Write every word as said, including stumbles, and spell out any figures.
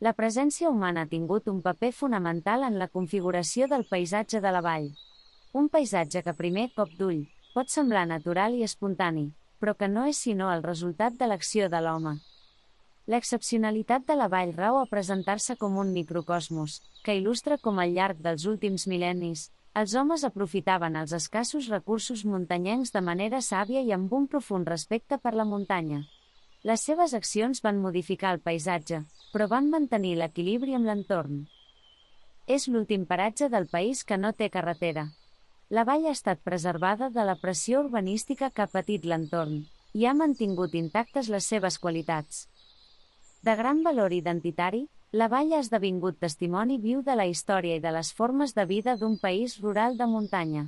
La presència humana ha tingut un paper fonamental en la configuració del paisatge de la vall. Un paisatge que a primer cop d'ull pot semblar natural i espontani, però que no és sinó el resultat de l'acció de l'home. L'excepcionalitat de la vall rau a presentar-se com un microcosmos, que il·lustra com al llarg dels últims mil·lennis, els homes aprofitaven els escassos recursos muntanyencs de manera sàvia i amb un profund respecte per la muntanya. Les seves accions van modificar el paisatge, però van mantenir l'equilibri amb l'entorn. És l'últim paratge del país que no té carretera. La vall ha estat preservada de la pressió urbanística que ha patit l'entorn, i ha mantingut intactes les seves qualitats. De gran valor identitari, la vall ha esdevingut testimoni viu de la història i de les formes de vida d'un país rural de muntanya.